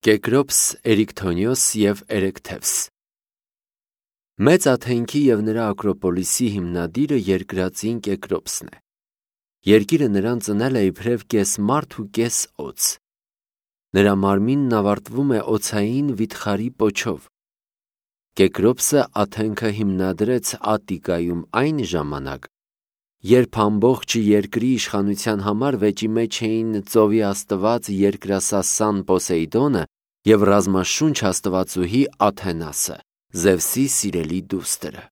Կեկրոպս, Էրիկթոնիոս և Էրեքթևս Մեծ Աթենքի և նրա Ակրոպոլիսի հիմնադիրը երկրածին Կեկրոպսն է։ Երկիրը նրան ծնել է իբրև կես մարդ ու կես օձ։ Նրա մարմինն ավարտվում է օձային վիթխարի պոչով։ Կեկրոպսը Աթենքը հիմնադրեց Ատտիկայում այն ժամանակ, երբ ամբողջ երկրի իշխանության համար վեճի մեջ էին ծովի աստված երկրասասան Պոսեյդոնը և ռազմաշունչ աստվածուհի Աթենասը, Զևսի սիրելի դուստրը։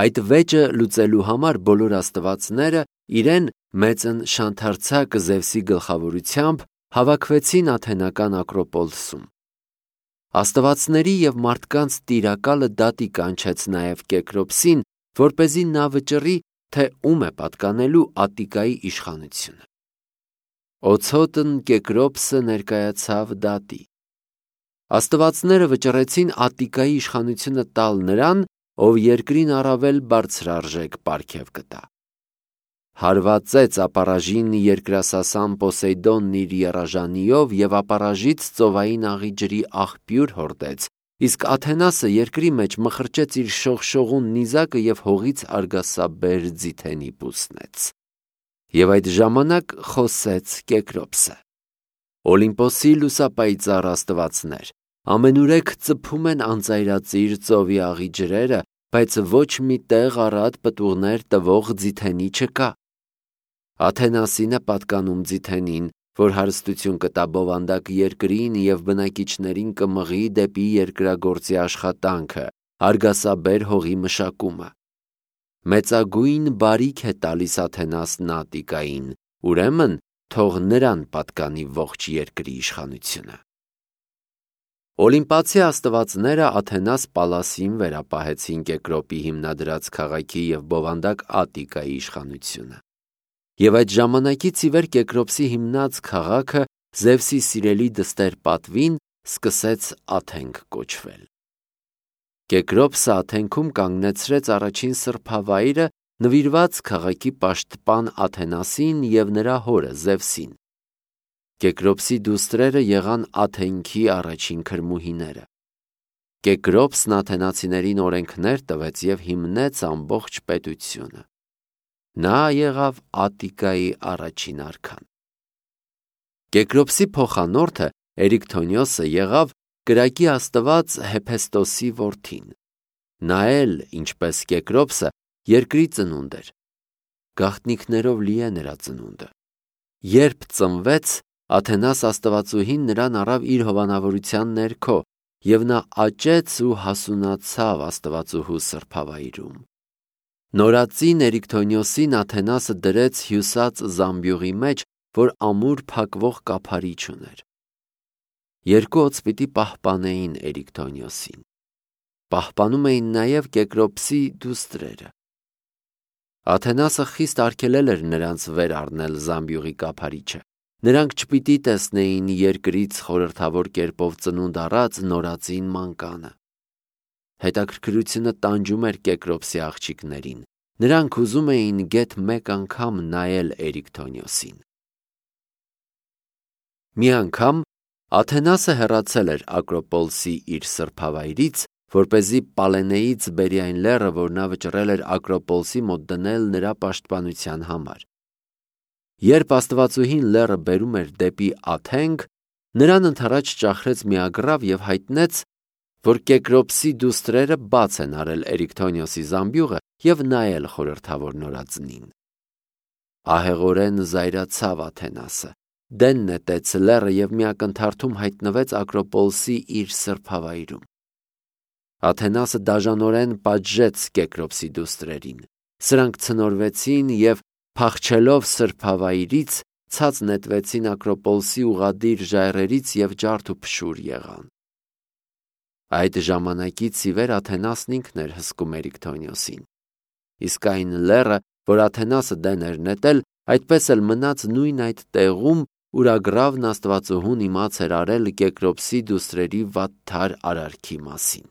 Այդ վեճը լուծելու համար բոլոր աստվածները իրեն մեծն շանթարցակ Զևսի գլխավորությամբ հավաքվեցին Աթենական Ակրոպոլսում։ Աստվածների և մարդկանց տիրակալը դատի կանչեց նաև Կեկրոպսին, որպեսզի նա վճռի, թե ում է պատկանելու Ատտիկայի իշխանությունը։ Օցոտն Կեկրոպսը ներկայացավ դատի։ Աստվածները վճռեցին Ատտիկայի իշխանությունը տալ նրան, ով երկրին առավել բարձրարժեք պարգև կտա։ Հարվածեց ապառաժին երկրասասան Պոսեյդոնն իր եռաժանիով և ապառաժից ծովային աղի ջրի աղբյուր հորդեց, իսկ Աթենասը երկրի մեջ մխրճեց իր շողշողուն նիզակը և հողից արգասաբեր ձիթենի պուսնեց։ Եվ այդ ժամանակ խոսեց Կեկրոպսը. Օլիմպոսի լուսապայծառ աստվածներ, ամենուրեք ծփում են անծայրածիր ծովի աղի ջրերը, բայց ոչ մի տեղ առատ պտուղներ տվող ձիթենի չկա։ Աթենասին է պատկանում ձիթենին, որ հարստություն կտա բովանդակ երկրին և բնակիչներին կմղի դեպի երկրագործի աշխատանքը, արգասաբեր հողի մշակումը։ Մեծագույն բարիք է տալիս Աթենասն Ատտիկային, ուրեմն թող նրան պատկանի ողջ երկրի իշխանությունը։ Օլիմպացի աստվածները Աթենաս Պալասին վերապահեցին Կեկրոպի հիմնադրած քաղաքի և բովանդակ Ատտիկայի իշխանությունը։ Եվ այդ ժամանակից ի վեր Կեկրոպսի հիմնած քաղաքը Զևսի սիրելի դստեր պատվին սկսեց Աթենք կոչվել։ Կեկրոպսը Աթենքում կանգնեցրեց առաջին սրբավայրը, նվիրված քաղաքի պաշտպան Աթենասին և նրա հորը Զևսին։ Կեկրոպսի դուստրերը եղան Աթենքի առաջին քրմուհիները։ Կեկրոպսն աթենացիներին օրենքներ տվեց և հիմնեց ամբողջ պետությունը։ Նա եղավ Ատտիկայի առաջին արքան։ Կեկրոպսի փոխանորդը Էրիկթոնիոսը եղավ կրակի աստված Հեփեստոսի որդին։ Նա էլ, ինչպես Կեկրոպսը, երկրի ծնունդ էր։ Գաղտնիքներով լի է նրա ծնունդը։ Երբ ծնվեց, Աթենաս աստվածուհին նրան առավ իր հովանավորության ներքո, և նա աճեց ու հասունացավ աստվածուհու սրբավայրում։ Նորածին Էրիկթոնիոսին Աթենասը դրեց հյուսած զամբյուղի մեջ, որ ամուր փակվող կափարիչ ուներ։ Երկու օձ պիտի պահպանեին Էրիկթոնիոսին։ Պահպանում էին նաև Կեկրոպսի դուստրերը։ Աթենասը խիստ արգելել էր նրանց վեր առնել զամբյուղի կափարիչը։ Նրանք չպիտի տեսնեին երկրից խորհրդավոր կերպով ծնունդ առած նորածին մանկանը։ Հետաքրքրությունը տանջում էր Կեկրոպսի աղջիկներին։ Նրանք ուզում էին գեթ մեկ անգամ նայել Էրիկթոնիոսին։ Մի անգամ Աթենասը հեռացել էր Ակրոպոլսի իր սրբավայրից, որպեսզի Պալենեից բերի այն լեռը, որ նա վճռել էր Ակրոպոլսի մոտ դնել նրա պաշտպանության համար։ Երբ աստվածուհին լեռը բերում էր դեպի Աթենք, նրան ընդառաջ ճախրեց մի ագռավ և հայտնեց, որ Կեկրոպսի դուստրերը բաց են արել Էրիկթոնիոսի զամբյուղը և նայել խորհրդավոր նորածնին։ Ահեղորեն զայրացավ Աթենասը, դեն նետեց լեռը և մի ակնթարթում հայտնվեց Ակրոպոլսի իր սրբավայրում։ Աթենասը դաժանորեն պատժեց Կեկրոպսի դուստրերին։ Սրանք ցնորվեցին և փախչելով սրբավայրից ցած նետվեցին Ակրոպոլսի ուղղադիր ժայռերից և ջարդ ու փշուր եղան։ Այդ ժամանակից ի վեր Աթենասն ինքն էր հսկում Էրիկթոնիոսին։ Իսկ այն լեռը, որ Աթենասը դեն էր նետել, այդպես էլ մնաց նույն այդ տեղում, ուր ագռավն աստվածուհուն իմաց էր արել Կեկրոպսի դուստրերի վատթար արարքի մասին։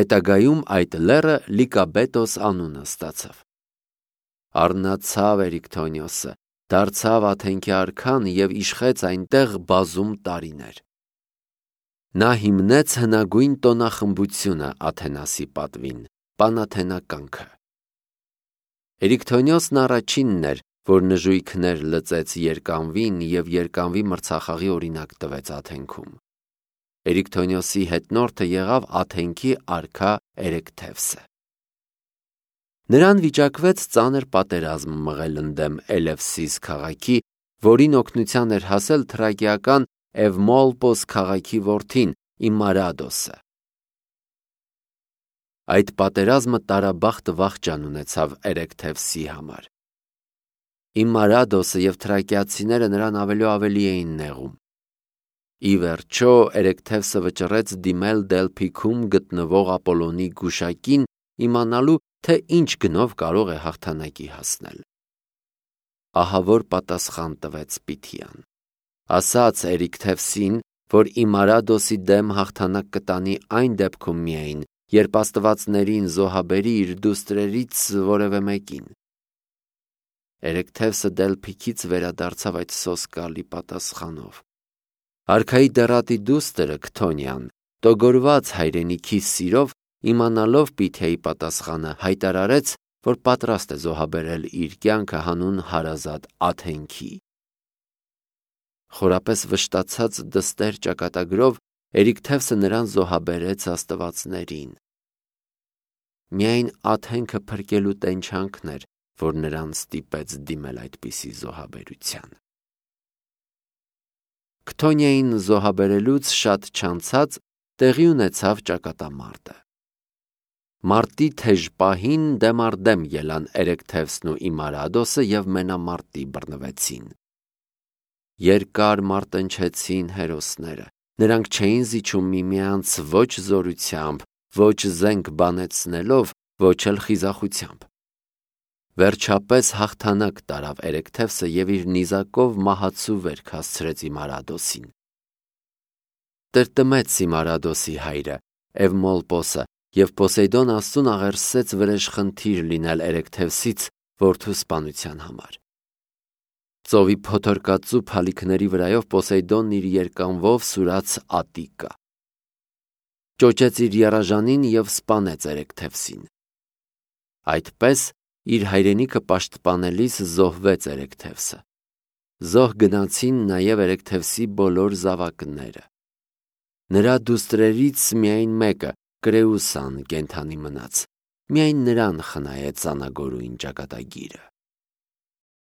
Հետագայում այդ լեռը Լիկաբետոս անունը ստացավ։ Առնացավ Էրիկթոնիոսը, դարձավ Աթենքի արքան և իշխեց այնտեղ բազում տարիներ։ Նա հիմնեց հնագույն տոնախմբությունը Աթենասի պատվին, Պանաթենականքը։ Էրիկթոնիոսն առաջինն էր, որ նժույգներ լծեց երկանվին և երկանվի մրցախաղի օրինակ տվեց Աթենքում։ Էրիկթոնիոսի հետնորդը եղավ Աթենքի արքա Էրեկթևսը։ Նրան վիճակվեց ծանր պատերազմ մղել ընդդեմ Էլևսիս քաղաքի, որին օգնության էր հասել թրակիական Էվմոլպոս քաղաքի որդին Իմարադոսը։ Այդ պատերազմը տարաբախտ վախճան ունեցավ Էրեկթևսի համար։ Իմարադոսը և թրակիացիները նրան ավելի էին նեղում։ Ի վերջո Էրեկթևսը վճռեց դիմել Դելփիքում գտնվող Ապոլոնի գուշակին, իմանալու, թե ինչ գնով կարող է հաղթանակի հասնել։ Ահա որ պատասխան տվեց Պիթիան։ Ասաց Էրիկթևսին, որ Իմարադոսի դեմ հաղթանակ կտանի այն դեպքում միայն, երբ աստվածներին զոհաբերի իր դուստրերից որևէ մեկին։ Էրեկթևսը Դելփիքից վերադարձավ այդ սոսկալի պատասխանով։ Արքայի դեռատի դուստրը Քթոնիան, տոգորված հայրենիքի սիրով, իմանալով Պիթիայի պատասխանը, հայտարարեց, որ պատրաստ է զոհաբերել իր կյանքը հանուն հարազատ Աթենքի։ Խորապես վշտացած դստեր ճակատագրով Էրիկթևսը նրան զոհաբերեց աստվածներին։ Միայն Աթենքը փրկելու տենչանքն էր, որ նրան ստիպեց դիմել այդպիսի զոհաբերության։ Քթոնիային զոհաբերելուց շատ չանցած տեղի ունեցավ ճակատամարտը։ Մարտի թեժ պահին դեմ առ դեմ ելան Էրեկթևսն ու Իմարադոսը և մենամարտի բռնվեցին։ Երկար մարտնչեցին հերոսները։ Նրանք չէին զիջում միմյանց ոչ զորությամբ, ոչ զենք բանեցնելով, ոչ էլ խիզախությամբ։ Վերջապես հաղթանակ տարավ Էրեկթևսը և իր նիզակով մահացու վերք հասցրեց Իմարադոսին։ Տրտմեց Իմարադոսի հայրը Էվմոլպոսը և Պոսեյդոն աստծուն աղերսեց վրեժխնդիր լինել Էրեկթևսից որդու սպանության համար։ Ծովի փոթորկածու փալիքների վրայով Պոսեյդոնն իր երկանվով սուրաց Ատիկա։ Ճոճեց իր եռաժանին և սպանեց Էրեկթևսին։ Այդպես իր հայրենիքը պաշտպանելիս զոհվեց Էրեկթևսը։ Զոհ գնացին նաև Էրեկթևսի բոլոր զավակները։ Նրա դուստրերից միայն մեկը, Կրեուսան, կենդանի մնաց։ Միայն նրան խնայեց անագորույն ճակատագիրը։